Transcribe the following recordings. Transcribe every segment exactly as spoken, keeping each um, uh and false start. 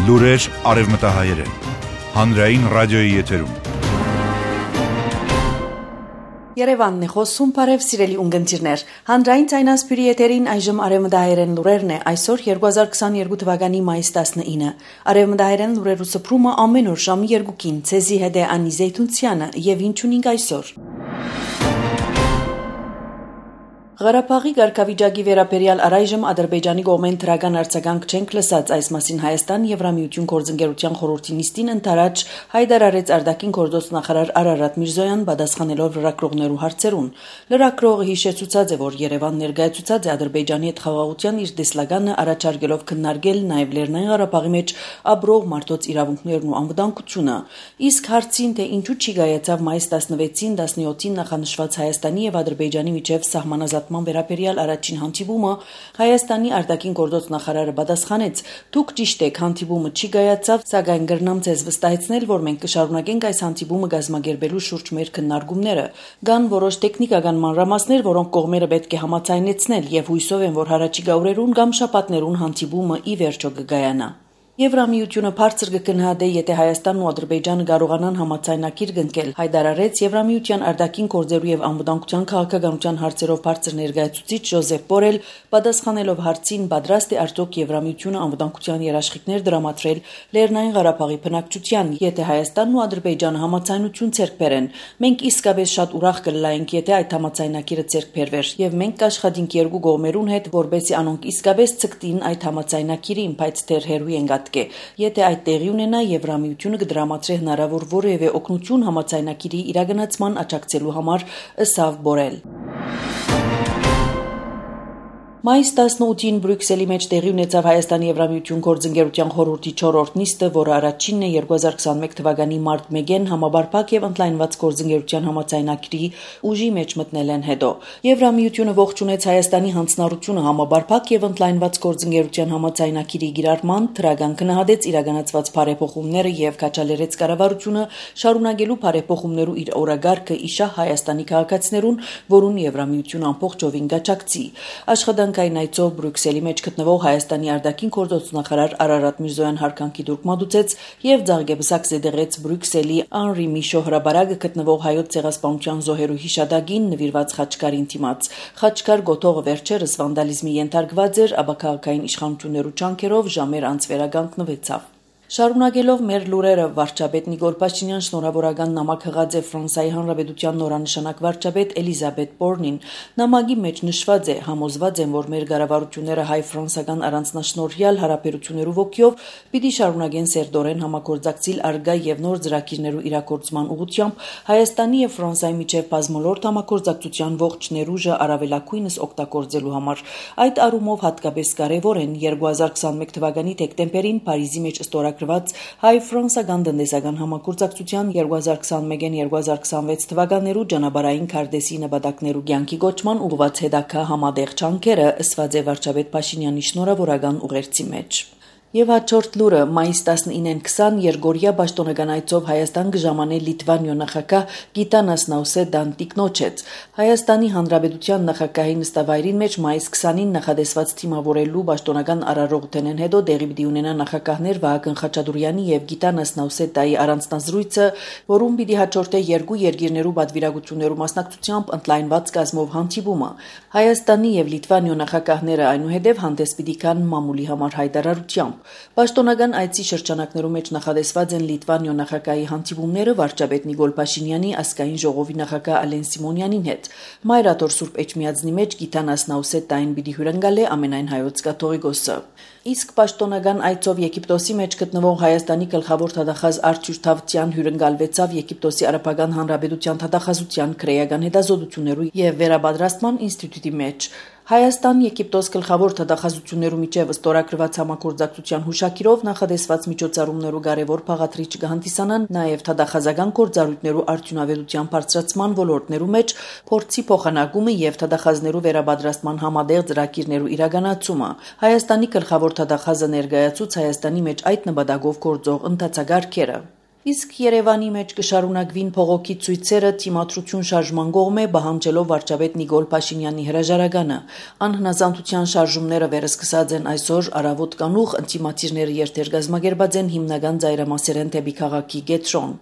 Լուրեր արևմտահայերեն, հանրային ռադիոյի եթերում։ Երևանն է խոսում, բարև սիրելի ունգընտիրներ։ Հանրային ցայնասպիրի եթերին այժմ արևմտահայերեն լուրերն է, այսօր երկու հազար քսաներկու թվականի մայիս տասնինը։ Արևմտահայերեն լուրերու սփռումը ամեն օր ժամի երկուքին, ցեզի հետ է Անի Զեյթունցյանը, եւ ինչ ունենք այսօր։ Ղարաբաղի ղարքավիճակի վերաբերյալ առայժմ Ադրբեջանի կողմեն դրական արձագանք չենք լսած, այս մասին Հայաստան Եվրամիություն գործընկերության խորհրդի նիստին ընդառաջ հայտարարեց արտաքին գործոց նախարար Արարատ Միրզոյան, պատասխանելով լրագրողներու հարցերուն։ Լրագրողը հիշեցուցած է, որ Երևան ներկայացուցած է Ադրբեջանի հետ խաղաղության իր տեսլականը առաջարկելով քննարկել նաև Լեռնային Ղարաբաղի մեջ ապրող մարդոց իրավունքներն ու անվտանգությունը։ Իսկ հարցին, թե ինչու չի գայացավ մայիս տասնվեցին տասնյոթին նախանշված Հայաստանի եւ Ադրբեջանի միջև սահմանազատման վերաբերյալ առաջին հանդիպումը, Հայաստանի արտաքին գործոց նախարարը պատասխանեց. «Դուք ճիշտ եք, հանդիպումը չի գայացավ, սակայն կրնամ ձեզ վստահեցնել, որ մենք կշարունակենք այս հանդիպումը կազմակերպելու շուրջ մեր քննարկումները։ Կան որոշ տեխնիկական մանրամասներ, որոնք կողմերը պետք է համաձայնեցնել, եւ հույսով եմ, որ հառաջիկա օրերուն կամ շաբաթներուն հանդիպումը ի վերջո կգայանա»։ Եվրամիությունը բարձր կգնահատե, եթե Հայաստանն ու Ադրբեջանը կարողանան համաձայնագիր կնքել, հայտարարեց Եվրամիության արտաքին գործերու եւ անվտանգության քաղաքականության հարցերով բարձր ներկայացուցիչ Ժոզեփ Բորել, պատասխանելով հարցին, պատրաստ է արդյոք Եվրամիությունը անվտանգության երաշխիքներ դրամատրել Լեռնային Ղարաբաղի բնակչության, եթե Հայաստանն ու Ադրբեջանը համաձայնություն ցերկ բերեն։ Մենք իսկապես շատ ուրախ կլայնք, եթե այդ համաձայնագիրը ցերկ բերվեր, եւ մենք կաշխատենք երկու կողմերուն հետ, որբեսի անոնք իսկապես ցկտին այդ համաձայնագիրին, բայց դեռ հերու են Եթե այդ տեղի ունենա, Եվրամիությունը կդրամատրի հնարավոր որևէ օգնություն համաձայնագիրի իրագործման աջակցելու համար, ըսավ Բորել։ Մայիս տասնութին Բրյուսելի մեջ տեղի ունեցավ Հայաստանի Եվրամիություն գործընկերության խորհրդի չորրորդ նիստը, որը առաջինն է երկու հազար քսաներկու թվականի մարտ մեկին համաբարփակ եւ ընդլայնված գործընկերության համաձայնագրի ուժի մեջ մտնելեն հետո։ Եվրամիությունը ողջունեց Հայաստանի հանձնառությունը համաբարփակ եւ ընդլայնված գործընկերության համաձայնագրի գիրառման, դրական գնահատեց իրականացված բարեփոխումները եւ կաչալերեց կառավարությունը շարունակելու բարեփոխումներու իր օրագարկը իշա Հայաստանի քաղաքացիներուն, որուն Եվրամիությունը ամբողջովին կաջակցի։ Աշխատանք Այն այցով Բրյուսելի մեջ գտնվող Հայաստանի արտաքին գործոց նախարար Արարատ Միրզոյան հարկանքի դուրք մատուցեց եւ ձաղգեբսակ զեդեղեց Բրյուսելի Անրի Միշո հրաբարակը գտնվող հայոց ցեղասպանության զոհերու հիշադակին նվիրված խաչքարին դիմաց։ Խաչքար գոտողը վերջերս վանդալիզմի ենթարկված էր, ապա քաղաքային իշխանություններու ջանքերով ժամեր անց վերականգնվեցավ։ Շարունակելով մեր լուրերը, վարչապետ Նիկոլ Փաշինյան շնորհավորական նամակ հղած է Ֆրանսիայի Հանրապետության նորանշանակ վարչապետ Էլիզաբետ Բորնին։ Նամակի մեջ նշված է. «Համոզված եմ, որ մեր կառավարությունները հայ-ֆրանսական առանձնաշնորհյալ հարաբերություններու ոգիով պիտի շարունակեն սերտորեն համագործակցել արգա եւ նոր ծրագիրներու իրագործման ուղղությամբ Հայաստանի եւ Ֆրանսիայի միջև բազմոլորտ համագործակցության ողջ ներուժը առավելագույնս օգտագործելու համար։ Այդ առումով հատկապես կարեւոր են երկու հազար քսաներկու թվականի դեկտեմբերին Փարիզի մեջ ստորագրված հայ-ֆրանսական տնտեսական համագործակցության երկու հազար քսանմեկին երկու հազար քսանվեց թվականներու ճանապարհային քարտեզի նպատակներու կյանքի կոչման ուղղված հետագա համատեղ ջանքերը, ըսված է վարչապետ Փաշինյանի շնորհավորական ուղերձի մեջ։ Եվ հաջորդ լուրը մայիս տասնինին քսան Երգորիա պաշտոնական այցով Հայաստան կժամանե Լիտվանիո նախագահ Գիտանաս Նաուսեդան տիկնոջեց։ Հայաստանի Հանրապետության նախագահի նստավայրին մեջ մայիս քսանին նախադեсված թիմավորելու պաշտոնական արարողութենեն հետո դեղի պիտի ունենա նախագահներ Վահագն Խաչատուրյանի եւ Գիտանաս Նաուսեդայի առանձնազրույցը, որում պիտի հաջորդե երկու երկիրներու պատվիրակություններու մասնակցությամբ ընդլայնված կազմով հանդիպումը։ Հայաստանի եւ Լիտվանիո նախագահները այնուհետև հանդես պիտի գան մամուլի համար հայտարարությամբ։ Պաշտոնական այցի շրջանակներում մեջ նախադեсված են Լիտվանիո նախագահի հանդիպումները վարչապետ Նիկոլ Փաշինյանի, ազգային ժողովի նախագահ Ալեն Սիմոնյանին հետ։ Մայրաթոր Սուրբ Էջմիածնի մեջ Գիտանաս Նաուսեդային պիտի հյուրընկալե ամենայն հայոց կաթողիկոսը։ Իսկ պաշտոնական այցով Եգիպտոսի մեջ գտնվող Հայաստանի գլխավոր թադախազ Արթուր Թավթյան հյուրընկալվեցավ Եգիպտոսի Արաբական Հանրապետության թադախազության քրեական հետազոտություններու եւ վերապատրաստման ինստիտուտի մեջ։ Հայաստան-Եգիպտոս գլխավոր թադախազություններու միջև ստորագրված համագործակցության հուշակիրով նախադեсված միջոցառումներու կարևոր բաղադրիչ կհանդիսանան նաև թադախազական գործառույթներու արդյունավետության բարձրացման ոլորտներու մեջ փորձի փոխանակումը եւ թադախազներու վերապատրաստման համատեղ ծրագիրներու իրականացումը։ Հայաստանի գլխավոր թադախազը ներկայացուց Հայաստանի մեջ այդ նպատակով գործող ընթացակարգերը։ Իսկ Երևանի մեջ կշարունակվին փողոքի ցույցերը թիմադրություն շարժման կողմէ պահանջելով վարչապետ Նիկոլ Փաշինյանի հրաժարականը։ Անհնազանդության շարժումները վերսկսած են այսօր առավոտ կանուխ, ընտիմացիրները երթեր գազմագերբած են հիմնական ծայրամասերեն դեպի քաղաքի կետրոն։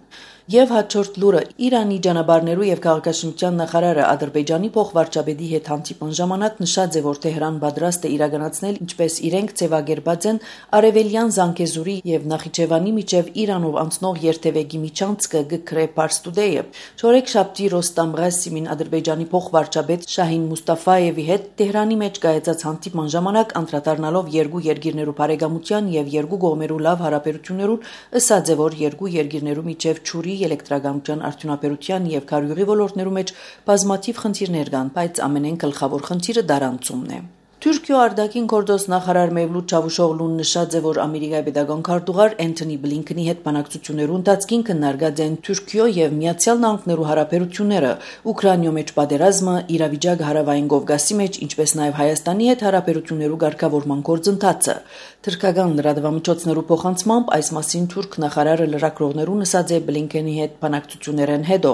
Եվ հաջորդ լուրը Իրանի ճանապարհներու եւ քաղաքաշինության նախարարը Ադրբեջանի փոխվարչապետի հետ հանդիպան ժամանակ նշած է, որ Թեհրան պատրաստ է իրականացնել ինչպես իրենք ձևակերպած են արևելյան Զանգեզուրի եւ Նախիջևանի միջև Իրանով անցնող երթևեկի միջանցքը գկրե Փարստուդեյը։ Չորեքշաբթի Ռոստամ Ղասիմին Ադրբեջանի փոխվարչապետ Շահին Մուստաֆայևի հետ Թեհրանի մեջ կայացած հանդիպման ժամանակ անդրադառնալով երկու երկիրներու բարեկամության եւ երկու կողմերու լավ հարաբերություններուն, ըսած է, որ երկու երկիրներու միջև ճուրի էլեկտրականության արդյունաբերության եւ քարյուղի ոլորտներու մեջ բազմաթիվ խնդիրներ կան, բայց ամենեն գլխավոր խնդիրը դարանցումն է։ Թուրքիո արտաքին գործոստ նախարար Մևլութ Չավուշօղլուն նշած է, որ Ամերիկայի պետական քարտուղար Էնթոնի Բլինքենի հետ բանակցություններու ընթացքին քննարկած են Թուրքիո եւ Միացյալ Նահանգներու հարաբերությունները, Ուկրաինայո մեջ պատերազմը, իրավիճակը հարավային Կովկասի մեջ, ինչպես նաեւ Հայաստանի հետ հարաբերություններու ղեկավարման գործընթացը։ Թուրքական լրատվամիջոցներու փոխանցմամբ այս մասին թուրք նախարարը լրագրողներուն ասաց է Բլինքենի հետ բանակցություններեն հետո։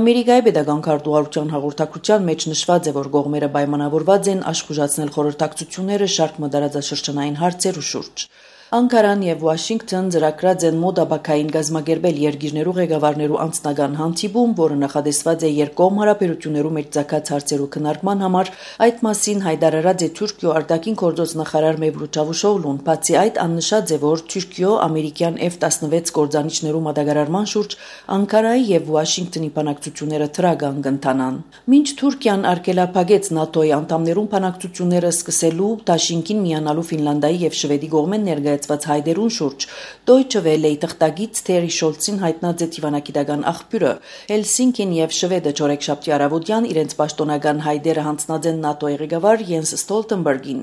Ամերիկայի պետական քարտուղարության հաղորդակցության մեջ նշված է, որ կողմերը պայմանավորված են աշխուժացնել խորհրդակցությունները շարք մտարածաշրջանային հարցերու շուրջ։ Անկարան եւ Վաշինգտոն ծրագրած են մոդաբակային գազմագերբել երկիրներու ղեկավարներու անձնական հանդիպում, որը նախադեсված է երկկողմ հարաբերություններու մեջ ցակած հարցերու քննարկման համար։ Այդ մասին հայտարարած է Թուրքիո արտաքին գործոս նախարար Մևլութ Չավուշօղլուն, բացի այդ աննշած է, որ Թուրքիո ամերիկյան Էֆ տասնվեց գործանիչներու մատակարարման շուրջ Անկարայի եւ Վաշինգտոնի բանակցությունները թրագան կընթանան։ Մինչ Թուրքիան արգելափակեց ՆԱՏՕ-ի անդամներուն բանակցությունները սկսելու Դաշինքին միանալու Ֆինլանդիայի եւ Շվեդի կողմեն ներկայացված հայդերուն շուրջ Deutsche Welle-ի թղթակից Թերի Շոլցին հայտնած է դիվանագիտական աղբյուրը։ Հելսինկին եւ Շվեդը չորեքշաբթի առավոտյան իրենց պաշտոնական հայդերը հանձնած են ՆԱՏՕ-ի ղեկավար Յենս Ստոլտենբերգին։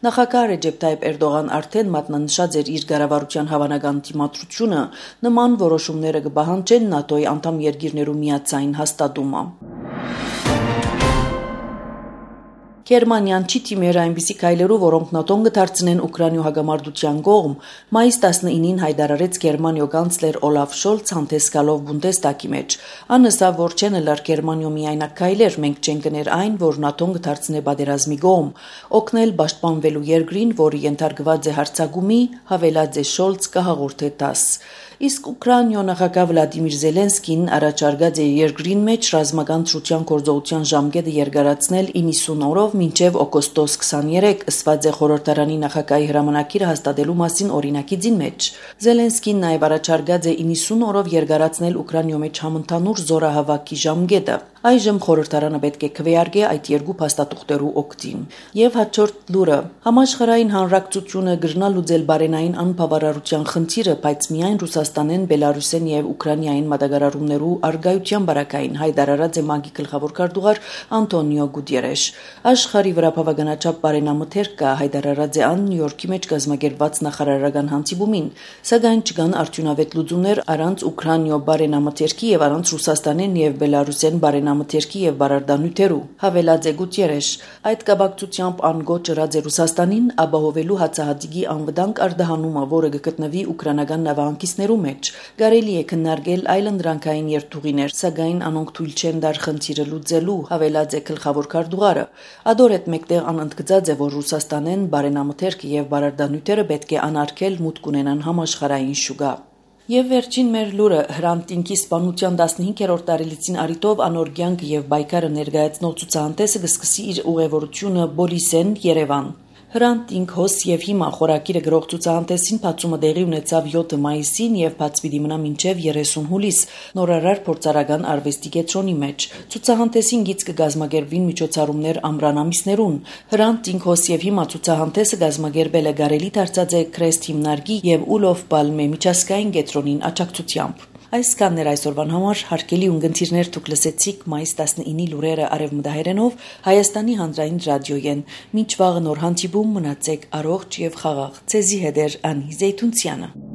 Նախագահ Ռեջեփ Թայիփ Էրդողան արդեն մատնանշած էր իր կառավարության հավանական դիմադրությունը, նման որոշումները կպահանջեն ՆԱՏՕ-ի անդամ երկիրներու միացային հաստատումը։ Գերմանիան չի թիմեր այնպիսի քայլերու, որոնք ՆԱՏՕ-ն կդարձնեն Ուկրաինայո հագամարտության կողմ, մայիս տասնինին հայտարարեց Գերմանիո կանցլեր Օլաֆ Շոլց հանդեսգալով Բունդեստագի մեջ։ Անըսավ, որ չեն լար Գերմանիո միայնակ քայլեր, մենք չենք կներ այն, որ ՆԱՏՕ-ն կդարձնե պատերազմի կողմ, օգնել պաշտպանվելու երկրին, որը ենթարկված է հարձակումի, հավելած է Շոլց կհաղորդե տաս։ Իսկ Ուկրաինայո նախագահ Վլադիմիր Զելենսկին առաջարկած է երկրին մեջ ռազմական ծրության գործողության ժամկետը երկարացնել իննսուն օրով մինչև օգոստոս քսաներեք, ըսված է խորհրդարանի նախագահի հրամանակիրը հաստատելու մասին օրինակիցին մեջ։ Զելենսկին նաև առաջարկած է իննսուն օրով երկարացնել Ուկրաինայո մեջ համընդհանուր զորահավաքի ժամկետը։ Այժմ խորհրդարանը պետք է քվեարկի այդ երկու փաստաթուղթերու օգտին։ Եվ հաջորդ լուրը համաշխարհային հանրակցությունը գրնա լուծել բարենային անբավարարության խնդիրը, բայց միայն Ռուսաստանեն, Բելարուսեն եւ Ուկրաինային մատակարարումներու արգայության բարակային հայտարարած է ՄԱԳ-ի գլխավոր քարտուղար Անտոնիո Գուտերեշ։ Աշխարհի վրա բավականաչափ բարենամթերք կա, հայտարարած է ան Նյու Յորքի մեջ կազմակերպված նախարարական հանդիպումին, սակայն չկան արդյունավետ լուծումներ առանց Ուկրաինայո բարենամթերքի եւ առանց Ռուսաստանեն եւ Բելարուսեն բարենամթերքի եւ բարարդանյութերու, հավելած է Գուտերեշ։ Այդ կապակցությամբ ան գոչ ըրած է Ռուսաստանին ապահովելու հացահատիկի անվտանգ արդահանումը, որը կգտնվի ուկրաինական նավահանգիստներու մեջ։ Կարելի է քննարկել այլընտրանքային երթուղիներ, սակայն անոնք թույլ չեն դար խնդիրը լուծելու, հավելած է գլխավոր քարտուղարը։ Ադոր հետ մեկտեղ անընդգծած է, որ Ռուսաստանեն բարենամթերքը եւ բարարդանյութերը պետք է անարգել մուտք ունենան համաշխարհային շուկա։ Եվ վերջին մեր լուրը Հրանտ ինքի սպանության տասնհինգերորդ տարելիցին արիտով անոր կյանքը եւ բայկարը ներկայացնող ցուցահանդեսը կսկսի իր ուղևորությունը Բոլիսեն Երևան։ Հրանտ ինք հոս եւ հիմա խորակիրը գրող ցուցահանդեսին բացումը տեղի ունեցավ յոթ մայիսին եւ բաց պիտի մնա մինչեւ երեսուն հուլիս նորարար փորձարարական արվեստի կենտրոնի մեջ։ Ցուցահանդեսին գիծ կգազմագերբվին միջոցառումներ ամռան ամիսներուն։ Հրանտ ինք հոս եւ հիմա ցուցահանդեսը գազմագերբել է Գարելի դարձած է Քրեստ հիմնարկի եւ Ուլով Պալմե միջազգային կենտրոնին աջակցությամբ։ Այսքանն էր այսօրվան համար, հարգելի ունգընտիրներ, դուք լսեցիք մայիս տասնինի լուրերը արևմտահայերենով Հայաստանի հանրային ռադիոյեն։ Մինչ վաղը նոր հանդիպում մնացեք առողջ եւ խաղաղ։ Ցեզի հետ էր Անի Զեյթունցյանը։